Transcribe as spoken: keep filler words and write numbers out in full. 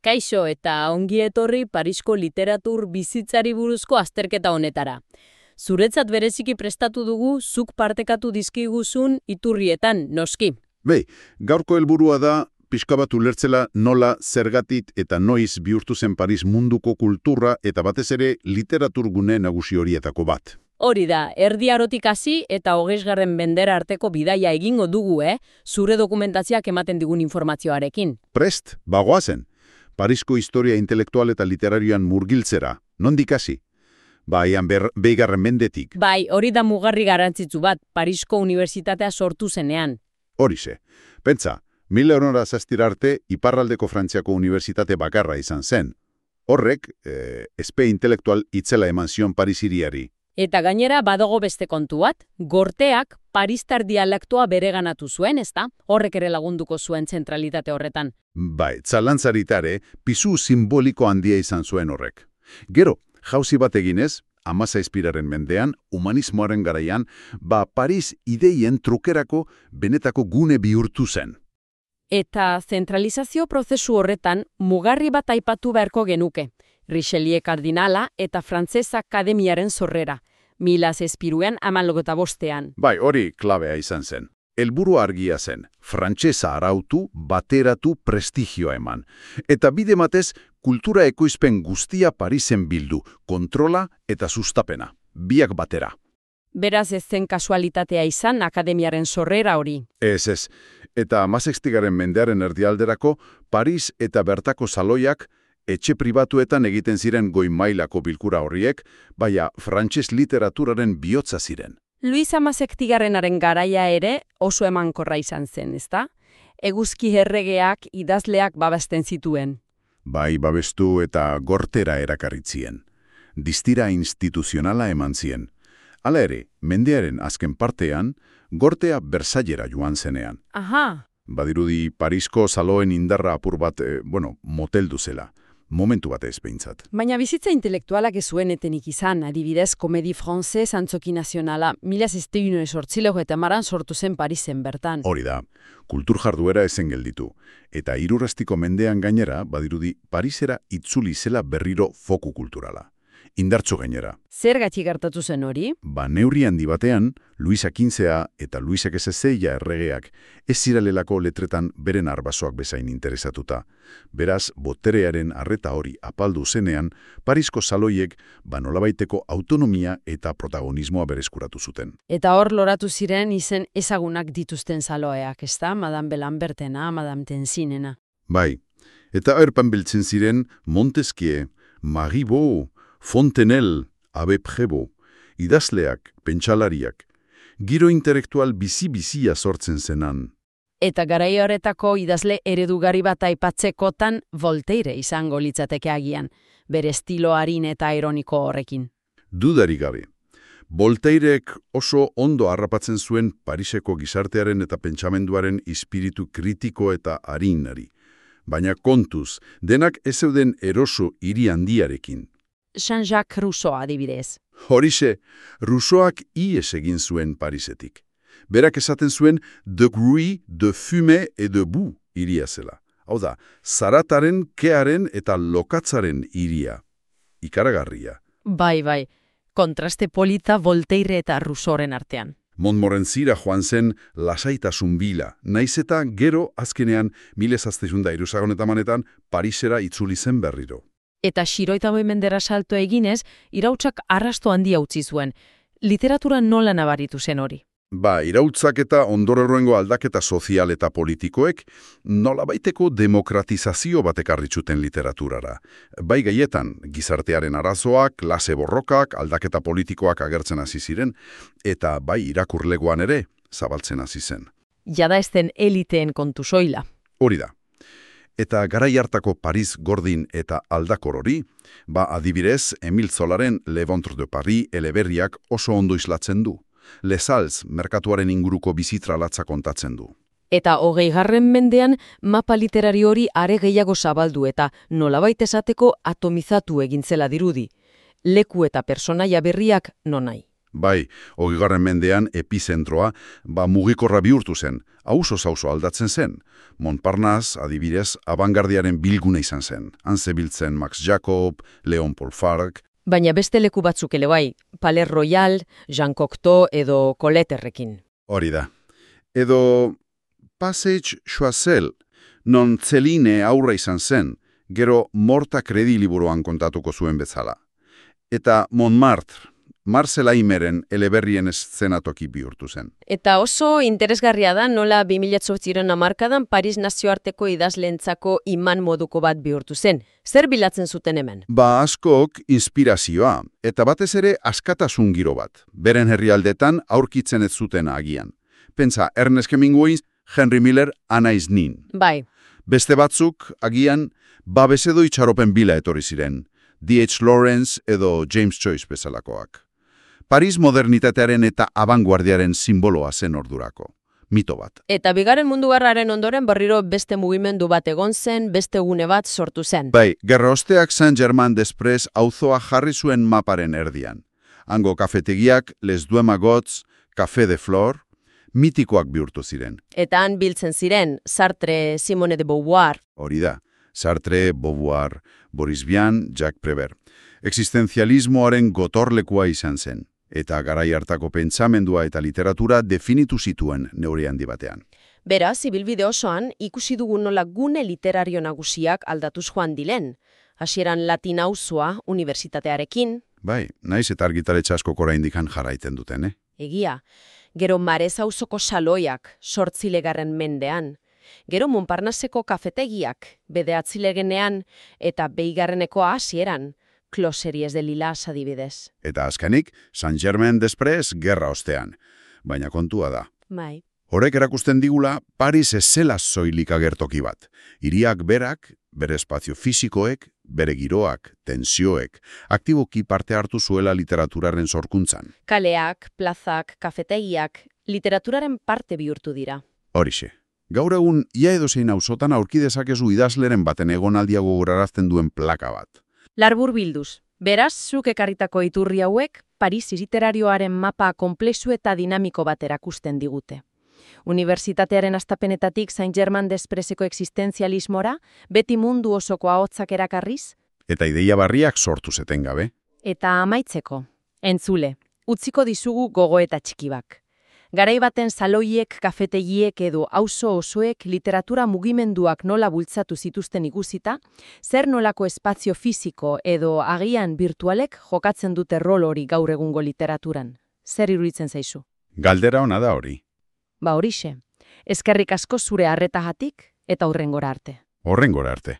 Kaixo eta ongi etorri Parisko literatur bizitzari buruzko azterketa honetara. Zuretzat bereziki prestatu dugu zuk partekatu dizkiguzun iturrietan, noski. Bei, gaurko helburua da pixka bat ulertzela nola, zergatik eta noiz bihurtu zen Paris munduko kultura eta batez ere literaturgune nagusi horietako bat. Hori da, erdi arotik hasi eta hogeisgarren mendera arteko bidaia egingo dugu, eh? Zure dokumentazioak ematen digun informazioarekin. Prest, bagoazen. Parisko historia intelektual eta literarioan murgiltzera, nondik hasi? Baian beigarren mendetik. Bai, hori da mugarri garrantzitsu bat, Parisko Unibertsitatea sortu zenean. Horixe. Pentsa, mila horora zaztira arte, Iparraldeko Frantziako Unibertsitate bakarra izan zen. Horrek, eh, espe intelektual itzela eman zion Paris hiriari. Eta gainera badago beste kontu bat, Gorteak paristar dialektoa bereganatu zuen, ezta? Horrek ere lagunduko zuen zentralitate horretan. Bai, zalantzaritare, pisu simboliko handia izan zuen horrek. Gero, jauzi bat eginez, hamazazpiraren mendean, humanismoaren garaian, ba Paris ideien trukerako benetako gune bihurtu zen. Eta zentralizazio prozesu horretan mugarri bat aipatu beharko genuke. Richelieu kardinala eta Frantsesa Akademiaren sorrera, mila zazpiruan hamalogeta bostean. Bai, hori klabea izan zen. Helburu argia zen, frantsesa arautu, bateratu, prestigioa eman. Eta bide batez, kultura ekoizpen guztia Parisen bildu, kontrola eta sustapena, biak batera. Beraz ez zen kasualitatea izan akademiaren sorrera hori. Ez ez, eta hamazazpigaren mendearen erdialderako, Paris eta bertako saloiak etxe pribatuetan egiten ziren goi mailako bilkura horriek, baina frantses literaturaren bihotza ziren. Luis hamazazpigarrenaren garaia ere oso emankorra izan zen, ezta? Eguzki erregeak idazleak babesten zituen. Bai, babestu eta Gortera erakarritzien. Distira instituzionala eman zien. Hala ere, mendearen azken partean, Gortea Versaillera joan zenean. Aha. Badirudi Parisko saloen indarra apur bat, eh, bueno, moteldu zela. Momentu bat ez behintzat. Baina bizitza intelektualak ez zuen etenik izan, adibidez, Komedi Frantzez Antzoki Nazionala, mila zazpiehun zortziehun eta hamaran sortu zen Parisen bertan. Hori da, kultur jarduera ezen gelditu. Eta hirurreztiko mendean gainera, badirudi Parisera itzuli zela berriro foku kulturala. Indartsu gainera. Zergatik gertatu zen hori? Ba neurri handi batean, Luisa quinzea eta Luisa seizeia erregeak ez ziralelako letretan beren arbasoak bezain interesatuta. Beraz, boterearen arreta hori apaldu zenean, Parisko saloiek ba nolabaiteko autonomia eta protagonismoa berezkuratu zuten. Eta hor loratu ziren izen ezagunak dituzten saloeak, ezta? Madame Belambertena, Madame Tensinena. Bai, eta erpan biltzen ziren Montesquieu, Marivaux, Fontenelle, Abbé Prévost, idazleak, pentsalariak, giro intelektual bizi-bizia sortzen zenan. Eta garai horretako idazle eredugari bat aipatzekotan Voltaire izango litzateke agian, bere estilo arin eta ironiko horrekin. Dudarik gabe. Voltairek oso ondo harrapatzen zuen Pariseko gizartearen eta pentsamenduaren espiritu kritiko eta arinari. Baina kontuz, denak ez zeuden eroso hiri handiarekin. Jean-Jacques Rousseau adibidez. Horixe, Rousseauak ies egin zuen Parisetik. Berak esaten zuen de bruit, de fume et de boue iria zela. Hau da, zarataren, kearen eta lokatzaren iria. Ikaragarria. Bai, bai, kontraste polita Voltaire eta Rousseauren artean. Montmorencyra joan zen lasaitasun bila, naiz eta gero azkenean mila zazpehun eta hirurogeian Parisera itzuli zen berriro. Eta xiroita mendera salto eginez, irautsak arrasto handia utzi zuen. Literatura nola nabaritu zen hori? Ba, irautzak eta ondororrengo aldaketa sozial eta politikoek nolabaiteko demokratizazio bat ekarritzuten literaturara. Bai gaietan, gizartearen arazoak, klase borrokak, aldaketa politikoak agertzen hasi ziren, eta bai irakurlegoan ere zabaltzen hasi zen. Jada ez den eliteen kontu soila. Hori da. Eta garai hartako Paris gordin eta aldakor hori, ba adibidez Emile Zolaren Le Ventre de Paris eleberriak oso ondo islatzen du. Les Halles merkatuaren inguruko bizitra latza kontatzen du. Eta hogeigarren mendean mapa literari hori are gehiago zabaldu eta nolabait esateko atomizatu egin zela dirudi. Leku eta personaia berriak nonai. Bai, hogeigarren mendean epizentroa, ba mugikorra bihurtu zen, auzo-auzo aldatzen zen. Montparnasse, adibidez, abangardiaren bilgune izan zen. Han zebiltzen Max Jacob, Leon Paul Farc. Baina beste leku batzuk ere bai, Palais Royal, Jean Cocteau edo Coletterekin. Hori da. Edo Passage Choiseul, non Celine aurra izan zen, gero Morta Kredi liburuan kontatuko zuen bezala. Eta Montmartre, Marcel Aimeren eleberrien eszenatoki bihurtu zen. Eta oso interesgarria da nola bi mila zortziren hamarkadan Paris nazioarteko idazleentzako iman moduko bat bihurtu zen. Zer bilatzen zuten hemen? Ba askok inspirazioa, eta batez ere askatasun giro bat. Beren herrialdetan aurkitzen ez zuten agian. Pentsa, Ernest Hemingway, Henry Miller, Anais Nin. Bai. Beste batzuk, agian, babesedo itxaropen bila etorri ziren. D H Lawrence edo James Joyce bezalakoak. Paris modernitatearen eta abanguardiaren simboloa zen ordurako. Mito bat. Eta bigarren mundu gerraren ondoren berriro beste mugimendu bat egon zen, beste gune bat sortu zen. Bai, gerra osteak Saint-Germain-des-Prés auzoa jarri zuen maparen erdian. Hango kafetegiak, Les Deux Magots, Café de Flore, mitikoak bihurtu ziren. Eta han biltzen ziren, Sartre, Simone de Beauvoir. Hori da, Sartre, Beauvoir, Boris Vian, Jacques Prévert. Existenzialismoaren gotorlekua izan zen, eta garai hartako pentsamendua eta literatura definitu zituen neure handi batean. Beraz, ibilbide osoan, ikusi dugu nola gune literario nagusiak aldatuz joan dilen. Hasieran Latin auzoa unibertsitatearekin. Bai, naiz eta argitaletxe askok oraindik jarraiten duten, eh? Egia. Gero Marez auzoko saloiak, sortzilegarren mendean. Gero Montparnasseko kafetegiak, bederatzilegenean, eta beigarrenekoa hasieran. Closeries de Lilas adibidez. Eta azkenik, Saint-Germain-des-Prés gerra ostean. Baina kontua da. Bai. Horrek erakusten digula, Paris ez zela soilik agertoki bat. Hiriak berak, bere espazio fisikoek, bere giroak, tensioek, aktiboki parte hartu zuela literaturaren sorkuntzan. Kaleak, plazak, kafetegiak, literaturaren parte bihurtu dira. Horixe. Gaur egun, ia edozein auzotan aurki dezakezu idazleren baten egonaldia gogorarazten duen plaka bat. Larbur bilduz. Beraz, zuk ekarritako iturri hauek, Paris literarioaren mapa konplexu eta dinamiko bat erakusten digute. Unibertsitatearen astapenetatik Saint-Germain-des-Préseko existenzialismora, beti mundu osoko ahotsak erakarriz. Eta ideia barriak sortu zeten gabe. Eta amaitzeko, entzule, utziko dizugu gogoeta txikibak. Garai baten saloiek, kafetegiek edo auzo osoek literatura mugimenduak nola bultzatu zituzten ikusita, zer nolako espazio fisiko edo agian virtualek jokatzen dute rol hori gaur egungo literaturan. Zer iruditzen zaizu? Galdera ona da hori. Ba horixe, eskerrik asko zure arretagatik eta hurrengora arte. Horrengora arte.